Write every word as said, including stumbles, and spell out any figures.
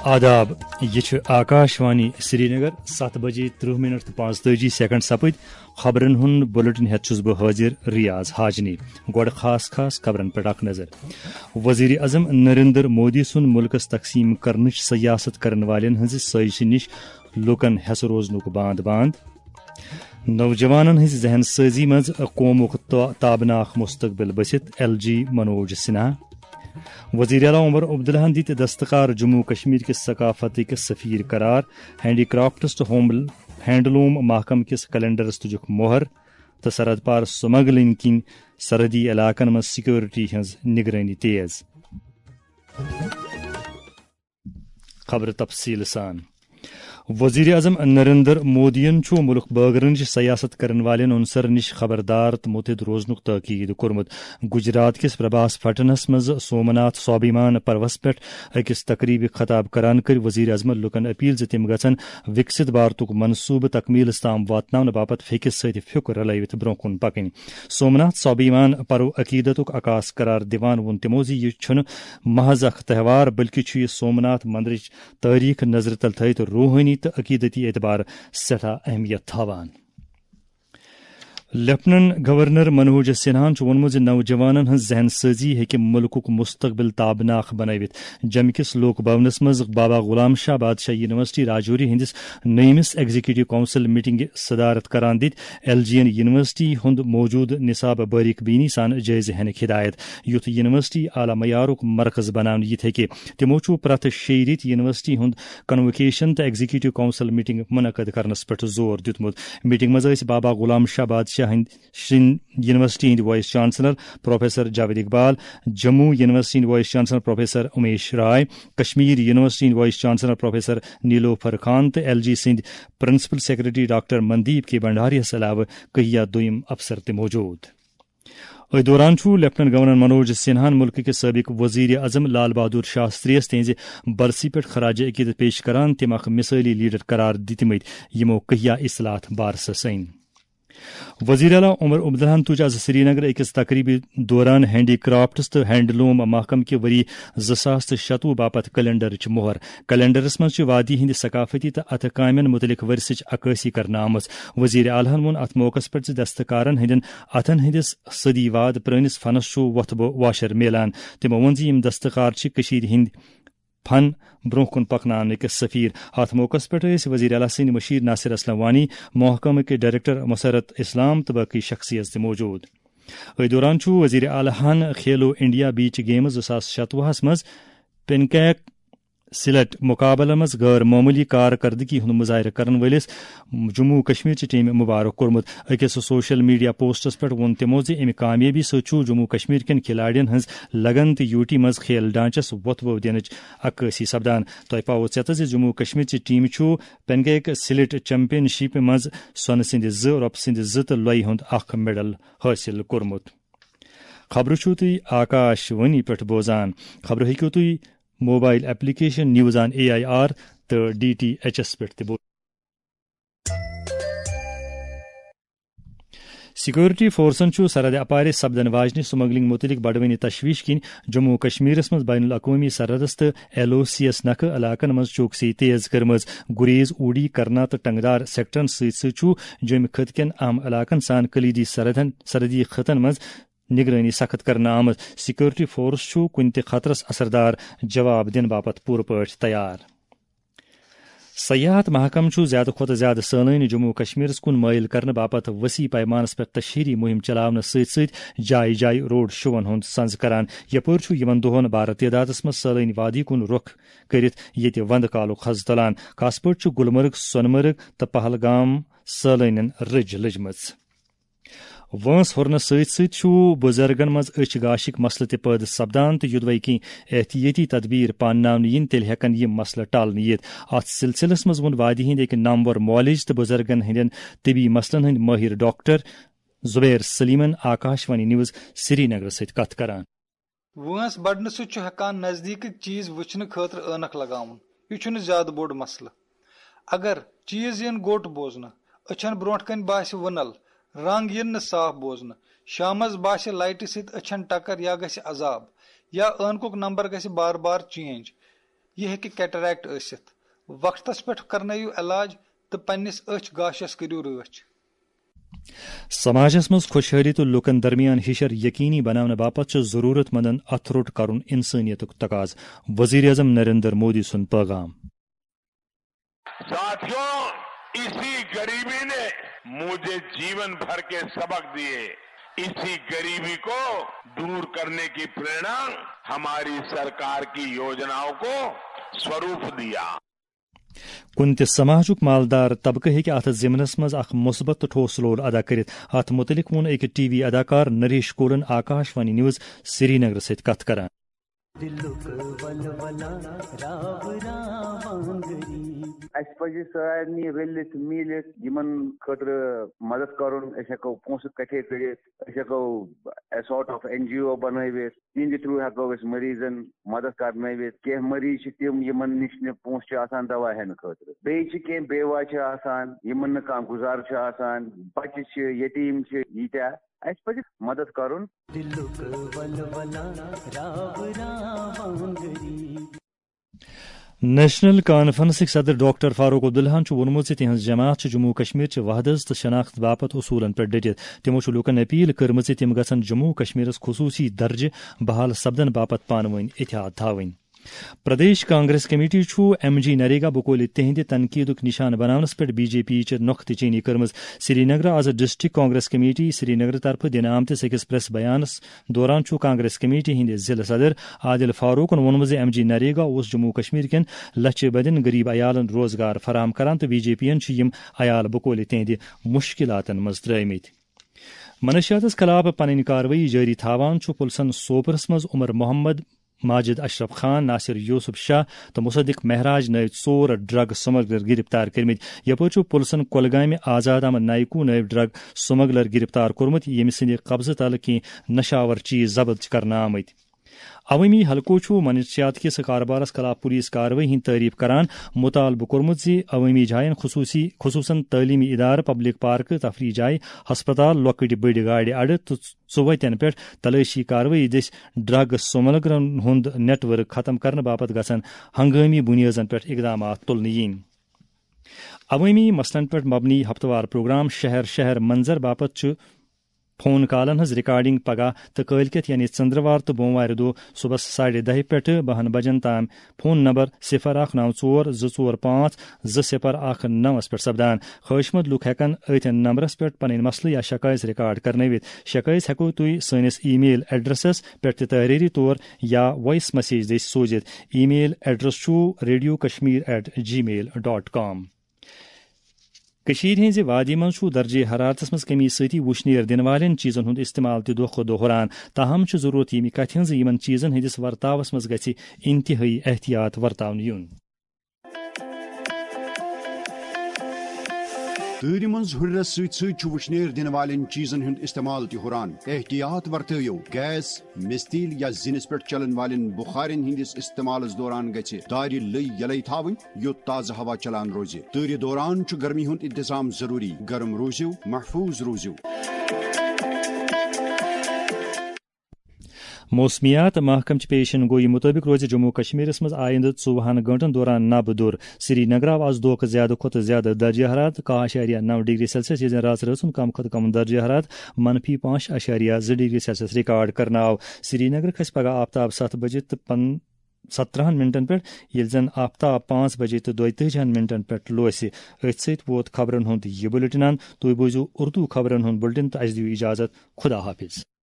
آداب، یہِ چھُ آکاش وانی سرینگر۔ ستھ بجے ترٕہ منٹ تہٕ پانٛژتٲجی سیکنڈ سپٕدۍ۔ خبرن ہُنٛد بُلٹن ہٮ۪تھ چھُس بہٕ حٲضِر ریاض حاجنی۔ گۄڈٕ خاص خاص خبرن پٮ۪ٹھ اکھ نظر۔ وزیر اعظم نریندر مودی سُنٛد مُلکس تقسیٖم کرنٕچ سیاست کرن والٮ۪ن ہٕنٛزِ سٲزشہِ نِش لوٗکن ہٮ۪سہٕ روزنُک باند باند۔ نوجوانن ہٕنٛزِ ذہن سٲزی منٛز قومُک تو-، تابناک مستقبل بٔسِتھ، ایل جی منوج سنہا۔ وزیر اعلیٰ عمر عبداللہن دِتۍ دستکار جموں کشمیر کِس ثقافتٕکۍ سفیر قرار، ہینڈی کرافٹس تہٕ ہوم، ہینڈلوم محکمہٕ کِس کیلنڈرس تُجُکھ مۄہر تہٕ سرحد پار سمگلنگ کِنۍ سرحدی علاقن منٛز سیکورٹی ہٕنٛز نگرٲنی تیز۔ خبرٕ تفصیٖل سان۔ وزیر اعظم نریندر مودیَن چھُ مُلک بٲگرنٕچ سیاست کرن والٮ۪ن عنصرن نِش خبردار تہٕ مُتحد روزنُک تاکید کوٚرمُت۔ گجرات کِس پربھاس پٹنس منٛز سومناتھ سوابھیمان پروَس پٮ۪ٹھ أکِس تقریبہِ خطاب کران کٔر وزیر اعظمن لوٗکن اپیل زِ تِم گژھن وِکسِت بھارتُک منصوبہٕ تکمیلس تام واتناونہٕ باپتھ پھیٚکِس سۭتۍ پھیُک رلٲوِتھ برونٛہہ کُن پکٕنۍ۔ سومناتھ سوابھیمان پرو عقیدتُک عکاس قرار دِوان ووٚن تِمو زِ یہِ چھُنہٕ محض اکھ تہوار، بلکہِ چھُ یہِ سومناتھ مندرٕچ تٲریخ نظرِ تل تھٲوِتھ روحٲنی تہٕ عقیدتی اعتبار سٮ۪ٹھاہ اہمیت تھاوان۔ لیفٹیننٹ گورنر منوج سنہاہن چھُ ووٚنمُت زِ نوجوانن ہٕنٛز ذہن سٲزی ہیٚکہِ مُلکُک مستقبل تابناک بنٲوِتھ۔ جمہِ کِس لوک بھونس منٛز بابا غلام شاہ بادشاہ یونیورسٹی راجوری ہٕنٛدِس نٔیمِس ایگزیکٹو کونسل میٹنگہِ صدارت کران دِتۍ ایل جی یَن یونیورسٹی ہُنٛد موجودٕ نصاب باریک بینی سان جٲیزٕ ہینٕکۍ ہدایت، یُتھ یونیورسٹی اعلیٰ معیارُک مرکز بناونہٕ یِتھ ہیٚکہِ۔ تِمو چھُ پرٛٮ۪تھ شیٚیہِ رٮ۪تۍ یونیورسٹی ہُنٛد کنووکیشن تہٕ ایگزیکٹو کونسل میٹنگ منعقد کرنس پٮ۪ٹھ زور دیُتمُت۔ میٹنگ منٛز ٲسۍ بابا غلام شاہ بادشاہ ہٕنٛدۍ سٕنٛدۍ یونیورسٹی ہٕنٛدۍ vice chancellor professor Javed Iqbal, Jammu university ہٕنٛدۍ وائس چانسلر پروفیسر امیش رائے، کشمیر یونیورسٹی ہٕنٛدۍ وائس چانسلر پروفیسر نیلوفر خان تہٕ ایل جی سٕنٛدۍ پرنسپل سیکرٹری ڈاکٹر مندیپ کے بھنڈاریَس علاوٕ کہیا دوٚیِم افسر تہِ موجود۔ أتھۍ دوران چھُ لیفٹیننٹ گورنر منوج سنہاہن مُلکہٕ کِس سٲبق وزیر اعظم لال بہادر شاستری یَس تِہنٛزِ برسی پٮ۪ٹھ خراج عقیدت پیش کران تِم اکھ مثٲلی لیڈر قرار دِتمٕتۍ، یِمو کہیا اصلاحات بارسس أنۍ۔ وزیر اعلیٰ عمر عبداللہن تُج آز سرینگر أکِس تقریبہِ دوران ہینڈی کرافٹس تہٕ ہینڈلوم محکمہٕ کہِ ؤری زٕ ساس تہٕ شتوُہ باپتھ کیلنڈرٕچ مۄہر۔ کیلنڈرس منٛز چھِ وادی ہٕنٛدِ ثقافتی تہٕ اتھٕ کامٮ۪ن مُتعلق ورثٕچ عکٲسی کرنہٕ آمٕژ۔ وزیر اعلیٰ ہن ووٚن اتھ موقعس پٮ۪ٹھ زِ دستکارن ہٕنٛدٮ۪ن اتھن ہٕنٛدِس صدی واد پرٲنِس فنس چھُ وۄتھٕ بہٕ واشر میلان۔ تِمو ووٚن زِ یِم دستکار چھِ کٔشیٖرِ ہٕنٛدۍ فن برونٛہہ کُن پکناونٕکۍ سفیر۔ اتھ موقعس پٮ۪ٹھ ٲسۍ وزیر اعلیٰ سٕنٛدۍ مشیر ناصر اسلم وانی، محکمہٕ کہِ ڈائریکٹر مسرت اسلام تہٕ باقی شخصیت تہِ موجود۔ أتھۍ دوران چھُ وزیر اعلیٰ ہن کھیلو انڈیا بیچ گیمز زٕ ساس شتوُہس منٛز پینکیک سلیٹ مقابلن منٛز غٲر معموٗلی کارکردگی ہُنٛد مظٲہرٕ کرن وٲلِس جموں و کشمیر چہِ ٹیمہِ مبارک کوٚرمُت۔ أکِس سوشل میڈیا پوسٹس پٮ۪ٹھ ووٚن تِمو زِ اَمہِ کامیٲبی سۭتۍ چھُ جموں و کشمیر کٮ۪ن کھلاڑٮ۪ن ہٕنٛز لگن تہٕ یوٗٹی منٛز کھیل ڈھانچس وۄتھٕ بو دِنٕچ عکٲسی سپدان۔ تۄہہِ پاوو ژیتس زِ جموں و کشمیر چہِ ٹیمہِ چھُ پینگیک سلیٹ چیمپین شپہِ منٛز سۄنہٕ سٕنٛدِ زٕ، رۄپہٕ سٕنٛدِ زٕ تہٕ لۄیہِ ہُنٛد اکھ میڈل حٲصِل کوٚرمُت۔ خبرٕ چھِو تُہۍ آکاش وانی پٮ۪ٹھ بوزان۔ خبرٕ ہیٚکِو تُہۍ mobile application news on A I R تہٕ ڈی ٹی ایچ ایس پٮ۪ٹھ تہِ بوزِتھ۔ سیکورٹی فورسن چھُ سرحد اپارِ سپدن واجنہِ سمگلنگ مُتعلق بڑوٕنہِ تشویش کِنۍ جموں و کشمیرس منٛز بین الاقوٲمی سرحدس تہٕ ایل او سی یَس نکھٕ علاقن منٛز چوکسی تیز کٔرمٕژ۔ گریز، اوڈی، کرنا تہٕ ٹنگدار سیکٹرن سۭتۍ سۭتۍ چھُ جوٚمہِ خٕطہٕ کٮ۪ن اہم علاقن سان کلیدی سرحدن، سرحدی خطن منٛز نگرٲنی سخت کرنہٕ آمٕژ۔ سیکورٹی فورس چھُ کُنہِ تہِ خطرس اثردار جواب دِنہٕ باپتھ پوٗرٕ پٲٹھۍ تیار۔ سیاحت محکمہٕ چھُ زیادٕ کھۄتہٕ زیادٕ سٲلٲنۍ جموں و کشمیرس کُن مٲیِل کرنہٕ باپتھ وسیع پیمانس پٮ۪ٹھ تشہیری مُہِم چلاونس سۭتۍ سۭتۍ جایہِ جایہِ روڈ شوون ہُنٛد سنز کران۔ یپٲرۍ چھُ یِمن دۄہن بارٕ تعدادس منٛز سٲلٲنۍ وادی کُن رُخ کٔرِتھ ییٚتہِ وندٕ کالُک حض تُلان۔ خاص پٲٹھۍ چھُ گُلمرگ، سۄنہٕ مرگ تہٕ پہلگام سٲلٲنٮ۪ن رٔج لٔجمٕژ۔ وٲنٛس ہُرنہٕ سۭتۍ سۭتۍ چھُ بُزرگن منٛز أچھ گاشٕکۍ مسلہٕ تہِ پٲدٕ سپدان تہٕ یوٚدوَے کینٛہہ احتیٲطی تدبیر پانناونہٕ یِن، تیٚلہِ ہٮ۪کن یِم مسلہٕ ٹلنہٕ یِتھ۔ اتھ سلسلس منٛز ووٚن وادی ہٕنٛدۍ أکۍ نامور معالج تہٕ بُزرگن ہٕنٛدٮ۪ن طبی مسلن ہٕنٛدۍ مٲہِر ڈاکٹر زبیر سلیمن آکاش وانی نیوز سری نگرس سۭتۍ کتھ کران۔ وٲنٛس بڑنہٕ سۭتۍ چھُ ہٮ۪کان نزدیٖکٕکۍ چیٖز وٕچھنہٕ خٲطرٕ عٲنکھ لگاوُن۔ یہِ چھُنہٕ زیادٕ بوٚڑ مسلہٕ۔ اگر چیٖز یِن گوٚٹ بوزنہٕ، أچھن برونٛٹھ کنہِ باسہِ وُنل، رنگ یِن نہٕ صاف بوزنہٕ، شامس باسہِ لایٹہِ سۭتۍ أچھن ٹکر یا گژھِ عذاب، یا عٲنکُک نمبر گژھِ بار بار چینج، یہِ ہیٚکہِ کیٹریکٹ ٲسِتھ۔ وقتس پٮ۪ٹھ کرنٲیِو علاج تہٕ پننِس أچھ گاشس کٔرِو رٲچھ۔ سماجس منٛز خۄشحٲلی تہٕ لوٗکن درمیان ہِشر یقینی بناونہٕ باپتھ چھُ ضروٗرت مندن اتھٕ روٚٹ کرُن انسٲنیتُک تقاضہٕ، وزیر اعظم نریندر مودی سُنٛد پیغام۔ साथियों, इसी गरीबी ने मुझे जीवन भर के सबक दिए। इसी गरीबी को दूर करने की प्रेरणा हमारी सरकार की योजनाओं को स्वरूप दिया। کُنہِ تہِ سماجُک مالدار طبقہٕ ہیٚکہِ اتھ ضمنس منٛز اکھ مثبت تہٕ ٹھوس رول ادا کٔرِتھ۔ اتھ مُتعلق ووٚن أکۍ ٹی وی اداکار نریش کولن آکاش وانی نیوز سرینگرٕ سۭتۍ کتھ کران۔ اسہِ پزِ سارنٕے رٔلِتھ میٖلِتھ یِمن خٲطرٕ مدد کرُن۔ أسۍ ہٮ۪کو پونٛسہٕ کٹھے کٔرِتھ، أسۍ ہٮ۪کو سارٹ آف این جی او بنٲوِتھ، تِہنٛدِ تھرو ہٮ۪کو أسۍ مریضن مدد کرنٲوِتھ۔ کینٛہہ مریض چھِ تِم یِمن نِش نہٕ پونٛسہٕ چھِ آسان دوا ہٮ۪نہٕ خٲطرٕ، بیٚیہِ چھِ کینٛہہ بیوہ چھِ آسان، یِمن نہٕ کانٛہہ گُزارٕ چھُ آسان، بچہِ چھِ، یتیٖم چھِ، ییٖتیٛاہ۔ اسہِ پزِ مدد کرُن۔ نیشنل کانفرنسٕکۍ صدر ڈاکٹر فاروق عبداللہن چھُ ووٚنمُت زِ تِہنٛز جماعت چھِ جموں و کشمیر چہِ وحدت تہٕ شناخت باپتھ اصوٗلن پٮ۪ٹھ ڈٔٹِتھ۔ تِمو چھُ لوٗکن اپیل کٔرمٕژ زِ تِم گژھن جموں و کشمیرس خصوٗصی درجہٕ بحال سپدن باپتھ پانہٕ ؤنۍ اتحاد تھاوٕنۍ۔ پردیش کانگریس کمیٹی چھُ ایم جی نریگا بقولِ تِہنٛدِ تنقیدُک نشانہٕ بناونس پٮ۪ٹھ بی جے پی چہِ نۄختہٕ چینی کٔرمٕژ۔ سرینگرٕ آز ڈسٹرکٹ کانگریس کمیٹی سرینگرٕ طرفہٕ دِنہٕ آمتِس أکِس پریس بیانس دوران چھُ کانگریس کمیٹی ہٕنٛدِ ضلعہٕ صدر عادل فاروقن ووٚنمُت زِ ایم جی نریگا اوس جموں و کشمیر کٮ۪ن لچھِ بٔدٮ۪ن غریب عیالن روزگار فراہم کران تہٕ بی جے پی یَن چھِ یِم عیال بقولِ تِہنٛدِ مشکلاتن منٛز ترٲومٕتۍ۔ منشیاتس خلاف پنٕنۍ کاروٲیی جٲری تھاوان چھُ پُلسن سوپرس منٛز عمر محمد، ماجد اشرف خان، ناصر یوسف شاہ تہٕ مصدق مہراج نٲوۍ ژور ڈرگ سمگلر گرفتار کٔرمٕتۍ۔ یپٲرۍ چھُ پُلسن کۄلگامہِ آزاد احمد نایکو نٲوۍ ڈرگ سمگلر گرفتار کوٚرمُت، ییٚمہِ سٕنٛدِ قبضہٕ تلہٕ کینٛہہ نشاور چیز ضبط چھِ کرنہٕ آمٕتۍ۔ عوٲمی حلقو چھُ منشیات کِس کاربارس خلاف پولیس کاروٲیی ہٕنٛز تعریف کران، مطالبہٕ کوٚرمُت زِ عوٲمی جاین خصوٗصی، خصوٗصن تعلیمی ادارٕ، پبلک پارکہٕ، تفریح جایہِ، ہسپتال، لۄکٕٹۍ بٔڑۍ گاڑِ اڈٕ تہٕ ژُوتٮ۪ن پٮ۪ٹھ تلٲشی کاروٲیی دٔسۍ ڈرگ سمگلرن ہُنٛد نیٹ ورک ختم کرنہٕ باپتھ گژھن ہنگٲمی بُنیٲزن پٮ۪ٹھ اقدامات تُلنہٕ یِنۍ۔ عوٲمی مسلن پٮ۪ٹھ مبنی ہفتہٕ وار پروگرام شہر شہر منظر باپتھ چھُ فون کالن ہٕنٛز ریکارڈنگ پگاہ تہٕ کٲلۍ کٮ۪تھ یعنی ژٔنٛدروار تہٕ بوموارِ دۄہ صبحس ساڑِ دَہہِ پٮ۪ٹھٕ بَہَن بجن تام فون نمبر صفر اکھ نو ژور زٕ ژور پانٛژھ زٕ صفر اکھ نوَس پٮ۪ٹھ سپدان۔ خٲہِشمند لوٗکھ ہٮ۪کن أتھۍ نمبرس پٮ۪ٹھ پنٕنۍ مسلہٕ یا شکایژ ریکارڈ کرنٲوِتھ۔ شکایژ ہٮ۪کو تُہۍ سٲنِس ای میل ایڈریسس پٮ۪ٹھ تہِ تحریری طور یا وائس میسیج دٔسۍ سوٗزِتھ۔ ای میل ایڈریس چھُ ریڈیو کشمیر ایٹ جی میل ڈاٹ کام۔ کٔشیٖرِ ہٕنٛزِ وادی منٛز چھُ درجے حرارتس منٛز کمی سۭتی وُشنیر دِنہٕ والٮ۪ن چیٖزن ہُنٛد استعمال تہِ دۄہ کھۄتہٕ دۄہ ہُران۔ تاہم چھِ ضروٗرت ییٚمہِ کتھِ ہٕنٛز زِ یِمن چیٖزن ہٕنٛدِس ورتاوس منٛز گژھِ انتہٲیی احتیاط ورتاونہٕ یُن۔ تۭرِ منٛز ہُرِرس سۭتۍ سۭتۍ چھُ وُشنیر دِنہٕ والٮ۪ن چیٖزن ہُنٛد استعمال تہِ ہُران۔ احتیاط ورتٲوِو، گیس، مِستیٖل یا زِنِس پٮ۪ٹھ چلن والٮ۪ن بُخارٮ۪ن ہٕنٛدِس استعمالس دوران گژھِ دارِ لٔۍ یلے تھاوٕنۍ، یوٚت تازٕ ہوا چلان روزِ۔ تۭرِ دوران چھُ گرمی ہُنٛد انتظام ضروٗری۔ گرم روٗزِو، محفوٗظ روٗزِو۔ موسمیات محکمہٕ چہِ پیشن گویی مُطٲبِق روزِ جموں و کشمیرس منٛز آیندٕ ژوٚوُہن گٲنٛٹن دوران نبہٕ دوٚر۔ سری نگر آو از دۄہ کھۄتہٕ زیادٕ کھۄتہٕ زیادٕ درجہ حرارت کاہ اعشاریہ نو ڈگری سیلسیس، ییٚلہِ زن راتھ رٲژ ہُنٛد کم کھۄتہٕ کم درجہ حرارت منفی پانٛژھ اعشاریہ زٕ ڈگری سیلسیس ریکارڈ کرنہٕ آو۔ سری نگر کھسہِ پگاہ آفتاب ستھ بجے تہٕ پن-، سترہن منٹن پٮ۪ٹھ، ییٚلہِ زن آفتاب پانٛژھ بجے تہٕ دۄیتٲجِہن منٹن پٮ۪ٹھ لوسہِ۔ أتھۍ سۭتۍ ووت خبرن ہُنٛد یہِ بُلٹن اند۔ تُہۍ بوٗزِو اردو خبرن ہُنٛد بُلٹن تہٕ اسہِ دِیِو اجازت۔ خدا حافظ۔